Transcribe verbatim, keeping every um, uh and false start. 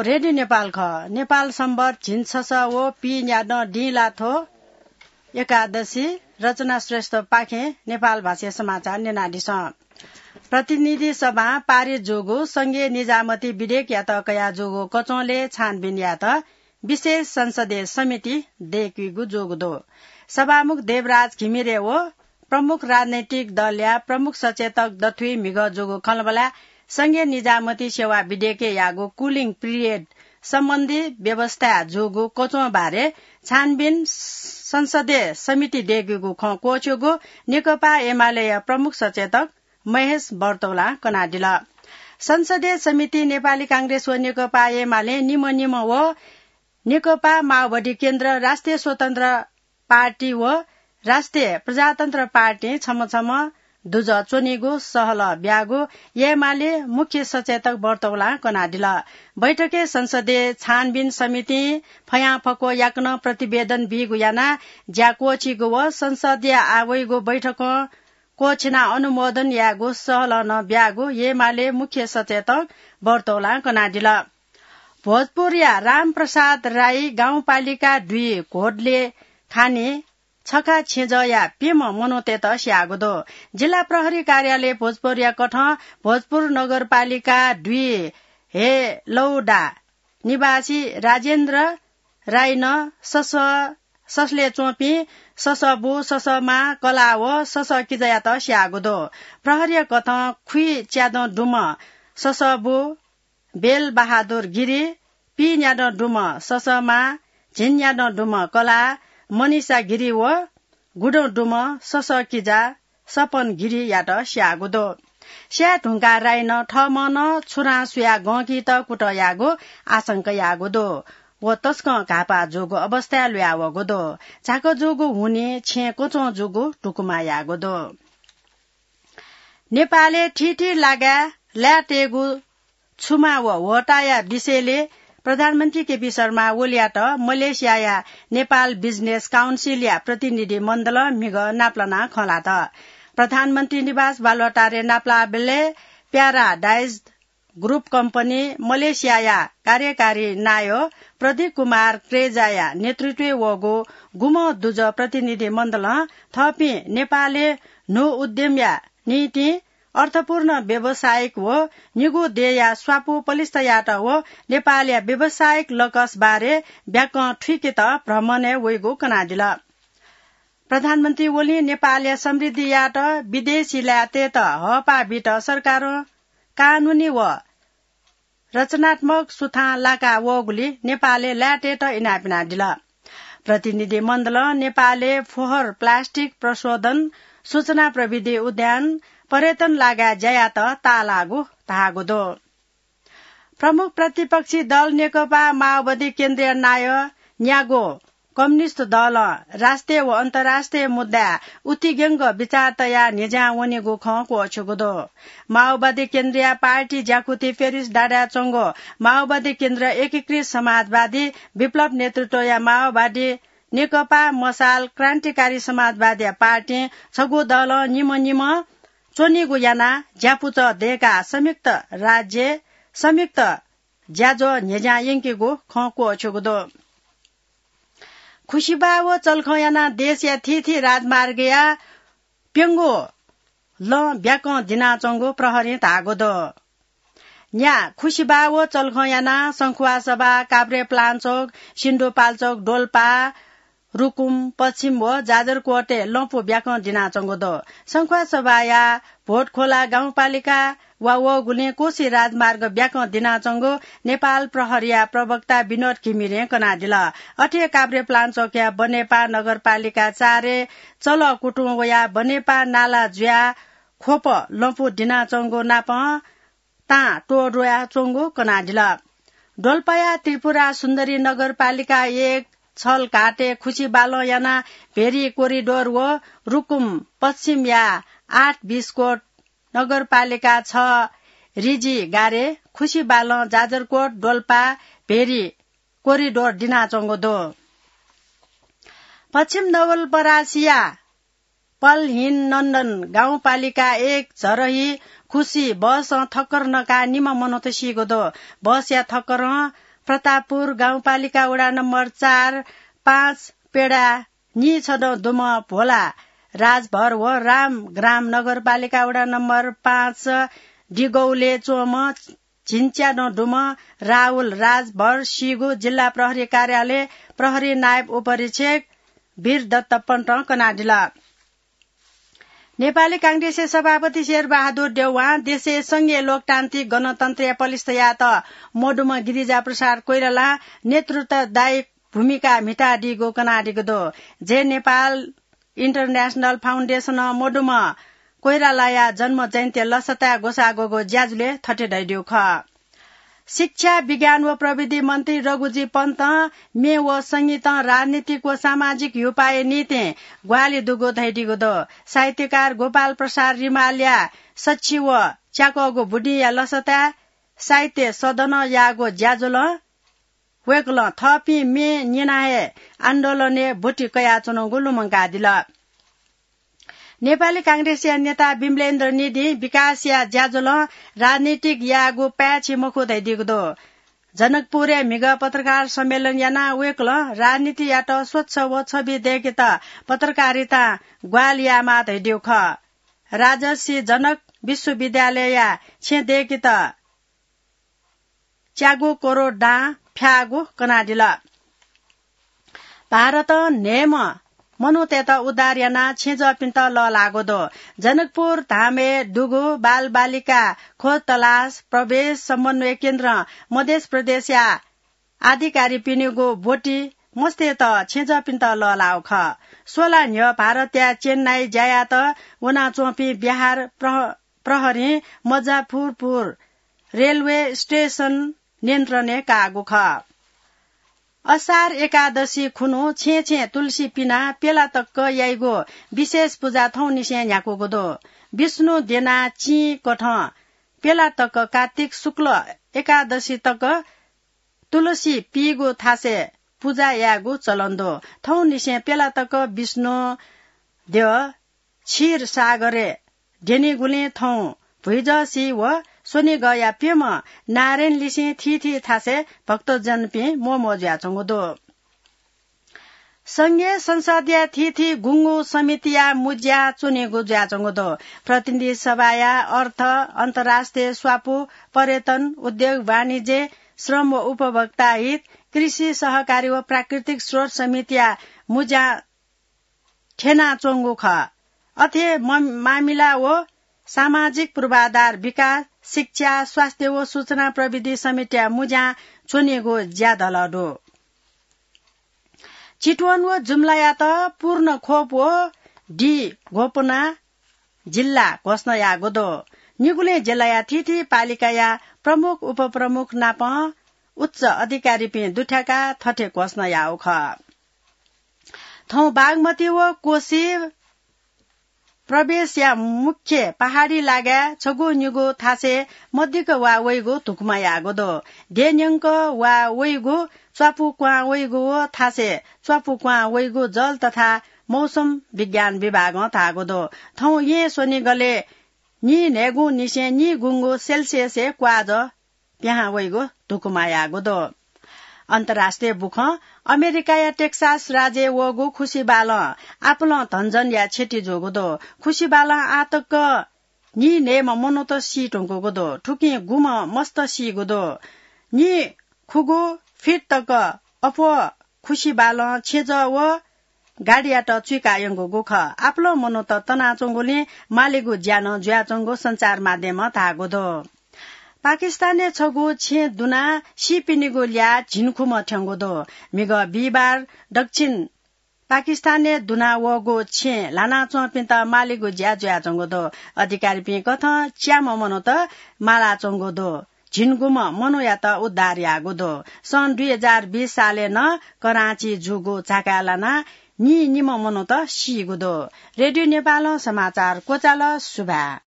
रेडियो नेपाल खः। नेपाल सम्बत झिंछसः व पीन्यादँ दिं ला थ्व एकादशी। रचना श्रेष्ठपाखें नेपाल भाषाया समाचार न्यनादिसँ। प्रतिनिधि सभां पारित जूगु संघीय निजामती विधेयकयात कया जूगु कचंलय् छानबिन यायेत विशेष संसदीय समिति दय्‌कीगु जूगु दु। सभामुख देवराज घिमिरे व प्रमुख राजनैतिक दलया प्रमुख सचेतक दथुइ म्हिगः जूगु खँल्हाबल्हाय् संघीय निजामती सेवा विधेयकय् याःगु cooling period सम्बन्धी व्यवस्थाय् जूगु कचं बारे छानबिन संसदीय समिति दय्‌कीगु खँ क्वःछ्यूगु नेकपा एमालेया प्रमुख सचेतक महेश बर्तौलां कनादिल। संसदीय समिति नेपाली कांग्रेस व नेकपा एमाले निम्ह निम्ह व नेकपा माओवादी केन्द्र, राष्ट्रिय स्वतन्त्र पार्टी व राष्ट्रिय प्रजातन्त्र पार्टीं छम्ह छम्ह दुजः च्वनीगु सहलह ब्याःगु एमाले मुख्य सचेतक बर्तौलां कनादिल। बैठकय् संसदीय छानबिन समितिं फयां फक्व याकनं प्रतिवेदन बीगु यानाः ज्या क्वःछीगु व संसदया आः वइगु बैठकं क्वःछिनाः अनुमोदन यायेगु सहलह नं ब्याःगु एमाले मुख्य सचेतक बर्तौलां कनादिल। भोजपुरया रामप्रसाद राई गाउँपालिका दुई घोडले खानी छखा छेँजःया प्यम्ह मनूतय्‌त स्याःगु दु। जिल्ला प्रहरी कार्यालय भोजपुरया कथं भोजपुर नगरपालिका दुई हेलौडा निवासी राजेन्द्र राईनं ससः, ससलय् च्वंपिं ससःबु, ससःमां, कलाः व ससःकिजायात स्याःगु दु। प्रहरीया कथं खुइच्यादँ दुम्ह ससःबु बेलबहादुर गिरी, पीन्यादँ दुम्ह ससःमां, झिंन्यादँ दुम्ह कलाः मनिषा गिरी व गुदँ दुम्ह ससःकिजा सपन गिरीयात स्याःगु दु। स्याये धुंकाः राईनं थःम्हं नं छुरां सुयाः गंकीत कुतः याःगु आशंका याःगु दु। व तसकं घाःपाः जूगु अवस्थाय् ल्हुयावःगु दु। झाक जूगु हुनिं छेँ कचं जूगु धुकुमा याःगु दु। नेपालय् थीथी लागाय् लाय्‌तय्‌गु छुमा व ह्वःताया विषयलय् प्रधानमन्त्री केपी शर्मा ओलीयात मलेसियाया नेपाल बिजनेस काउन्सिलया प्रतिनिधि मण्डलं म्हिगः नापलानाः खँ ल्हात। प्रधानमन्त्री निवास बालुवाटारय् नापलाःबलय् प्याराडाइज ग्रुप कम्पनी मलेसियाया कार्यकारी नायः प्रदीप कुमार क्रेजाया नेतृत्वय् वःगु गुम्ह दुजः प्रतिनिधि मण्डलं थःपिं नेपालय् न्हू उद्यमया निंतिं अर्थपूर्ण व्यावसायिक व निगू देय्‌या स्वापू पलिस्था यायेत व नेपालया व्यावसायिक लकस बारे ब्याकं थुइकेत भ्रमणय् वइगु कनादिल। प्रधानमन्त्री ओलीं नेपालया समृद्धि यायेत विदेशी लाय्‌तय्‌त हःपाः बीत सरकारं कानूनी व रचनात्मक सुथां लाका वःगुलिं नेपालय् लाय्‌तय्‌त इनाप यानादिल। प्रतिनिधि मण्डलं नेपालय् फोहोर प्लास्टिक प्रशोधन, सूचना प्रविधि उद्यान, पर्यटन लागाय् ज्या यायेत ताःलाःगु धाःगु दु। प्रमुख प्रतिपक्षी दल नेकपा माओवादी केन्द्रया नायः न्यागू कम्युनिस्ट दलं राष्ट्रिय व अन्तर्राष्ट्रिय मुद्दाय् उतिग्यंक विचार तयाः न्ह्यज्यां वनीगु खँ क्वःछ्यूगु दु। माओवादी केन्द्रया पार्टी ज्याकुथि प्यारिस डाँडाय् च्वंगु माओवादी केन्द्र एकीकृत समाजवादी विप्लव नेतृत्वया माओवादी नेकपा मशाल क्रान्तिकारी समाजवादीया पार्टीं छगू दलं निम्ह निम्ह च्वनीगु यानाः ज्यापुचः दय्‌काः संयुक्त राज्य, संयुक्त ज्याझ्वः न्ह्यज्यां यंकीगु खँ क्वःछ्यूगु दु। खुसिबाः व चल्खं यानाः देशया थीथी राजमार्गया प्यंगू लँ ब्याकं दिनाच्वंगु प्रहरीं धाःगु दु। न्या खुसिबाः व चल्खं यानाः शंखुवासभा, काभ्रेपलाञ्चोक, सिन्धुपाल्चोक, डोल्पा, रुकुम पश्चिम व जाजरकोटय् लँपु ब्याकं दिनाच्वंगु दु। शंखुवासभाया भोटखोला गाउँपालिका वा वःगुलिं कोशी राजमार्ग ब्याकं दिनाच्वंगु नेपाल प्रहरीया प्रवक्ता विनोद घिमिरें कनादिल। अथे काभ्रेपलाञ्चोकया बनेपा नगरपालिका चारय् चलः कुतुं वयाः बनेपा नाला जुयाः ख्वप लँपु दिनाच्वंगु नापं तां त्वःदुयाच्वंगु कनादिल। डोल्पाया त्रिपुरा सुन्दरी नगरपालिका एक छलघाटय् खुसिबालं यानाः भेरी कोरिडोर व रुकुम पश्चिमया आठ बिस्कोट नगरपालिका छ रिजी गारे खुसिबालं जाजरकोट डोल्पा भेरी कोरिडोर दिनाच्वंगु दु। पश्चिम नवलपरासीया पल्हिनन्दन गाउँपालिका एक झरही खुसी बसं ठक्कर नकाः निम्ह मनूत सीगु दु। बसया ठक्करं प्रतापपुर गाउँपालिका वडा नम्बर चार, पाँच पेडा नीछदँ दुम्ह भोला राजभर व रामग्राम नगरपालिका वडा नम्बर पाँच डिगौले च्वंम्ह झिंच्यादँ दुम्ह राहुल राजभर सीगु जिल्ला प्रहरी कार्यालय प्रहरी नायब उपरीक्षक वीरदत्त पन्तं कनादिल। नेपाली कांग्रेसया सभापति शेरबहादुर देउवां देशय् संघीय लोकतान्त्रिक गणतन्त्रया पलिस्था यायेत मदुम्ह गिरिजाप्रसाद कोइरालां नेतृत्वदायी भूमिका म्हितादीगु कनादीगु दु। जे नेपाल इन्टरनेसनल फाउन्डेसनं मदुम्ह कोइरालाया जन्म जयन्ती लसताय् ग्वसाः ग्वःगु ज्याझ्वलय् थथे धयादीगु खः। शिक्षा, विज्ञान व प्रविधि मन्त्री रघुजी पन्तं म्ये व संगीतं राजनीतिक व सामाजिक ह्युपाःया निंतिं ग्वाहालि दुगु धयादीगु दु। साहित्यकार गोपाल प्रसाद रिमालया सछि व च्याकःगु बुदिंया लसताय् साहित्य सदनं याःगु ज्याझ्वलं वय्कलं थःपिं म्ये न्यना हे आन्दोलनय् ब्वति कयाच्वनागु लुमंकादिल। नेपाली कांग्रेसया नेता विमलेन्द्र निधिं विकासया ज्याझ्वलं राजनीतिक यायेगु पाय्छि मखु धयादीगु दु। जनकपुरय् म्हिगः पत्रकार सम्मेलन यानाः वय्कलं राजनीतियात स्वच्छ व छवि दय्केत पत्रकारितां ग्वाहालि यायेमाः धयादीगु खः। राजर्षि जनक विश्वविद्यालयया छेँ दय्केत च्यागू करोड दां फ्याःगु कनादिल। भारतं न्हय्म्ह मनूतय्त उद्धार यानाः छेँजःपिन्त लःल्हाःगु दु। जनकपुर धामय् दुगु बालबालिका खोज तलास प्रवेश समन्वय केन्द्रं मधेस प्रदेशया अधिकारीपिनिगु ब्वति मस्तय्त छेँजःपिन्त लःल्हाःगु खः। स्वला न्ह्यः भारतया चेन्नाई ज्या यायेत वनाच्वंपिं बिहार प्रह-, प्रहरीं मजाफुरपुर रेलवे स्टेशन नियन्त्रणय् काःगु खः। असार एकादशी खुन्हु छेँ छेँ तुलसी पिनाः प्यला तक याइगु विशेष पुजा थौंनिसें न्ह्याकूगु दु। विष्णु द्यनाः चिं कथं प्यला तक कार्तिक शुक्ल एकादशी तक तुलसी पीगु थासय् पुजा यायेगु चलन दु। थौंनिसें प्यला तक विष्णु द्यः क्षीर सागरय् द्यनीगुलिं थौं भुइजःसी व स्वनिगःया प्यम्ह नारायणलिसें थीथी थासय् भक्तजनपिं म्वःम्वः जुयाच्वंगु दु। संघीय संसदया थीथी गुंगू समितिया मुँज्या च्वनीगु जुयाच्वंगु दु। प्रतिनिधि सभाया अर्थ, अन्तर्राष्ट्रिय स्वापू, पर्यटन, उद्योग, वाणिज्य, श्रम व उपभोक्ता हित, कृषि, सहकारी व प्राकृतिक स्रोत समितिया मुँज्या थ्यनाच्वंगु खः। अथे म-, मामिला व सामाजिक पूर्वाधार विकास, शिक्षा, स्वास्थ्य व सूचना प्रविधि समितिया मुँज्या च्वनीगु ज्या धल दु। चितवन व जुम्लायात पूर्ण खोप व डी घोपना जिल्ला घोषणा याःगु दु। निगुलिं जिल्लाया थीथी पालिकाया प्रमुख उपप्रमुख नाप उच्च अधिकारीपिं दुथ्याकाः थथे घोषणा याःगु खः। थौं बागमती व कोशी प्रवेशया मुख्य पहाडी लागाय् छगू निगू थासय् मदिक्क वा वइगु धुकुमा याःगु दु। देय् न्यंक वा वइगु, च्वापु क्वां वइगु व थासय् च्वापु क्वां वइगु जल तथा मौसम विज्ञान विभागं धाःगु दु। थौं येँ स्वनिगलय् नीन्हय्गुंनिसें नीगुंगू सेल्सियसय् क्वाःजः पिहां वइगु धुकुमा याःगु दु। अन्तर्राष्ट्रिय बुखँ। अमेरिकाया टेक्सास राज्यय् वःगु खुसिबालं आपालं धनजनया क्षति जूगु दु। खुसिबालं आः तक नीन्हय्म्ह मनूत सी धुंकूगु दु। थुकिं गुम्ह मस्त सीगु दु। निखुगू फिट तक अप्वः खुसिबालं छेँजः व गाडीयात चुइका यंकूगु खः। आपालं मनूत तनाच्वंगुलिं मालीगु ज्या नं जुयाच्वंगु सञ्चार माध्यमं धाःगु दु। पाकिस्तानय् छगू छेँ दुनाः सीपिनिगु ल्याः झिंखुम्ह थ्यंगु दु। म्हिगः बिहिबार दक्षिण पाकिस्तानय् दुना वःगु छेँ ल्हानाच्वंपिन्त मालीगु ज्या जुयाच्वंगु दु। अधिकारीपिं कथं च्याम्ह मनूत मालाच्वंगु दु। झिंगुम्ह मनूयात उद्धार याःगु दु। सन् दुई हजार बीस सालय् नं कराँची जूगु झाकाय् लानाः नीनिम्ह मनूत सीगु दु। रेडियो नेपालं समाचार क्वचाल। सुभाय्।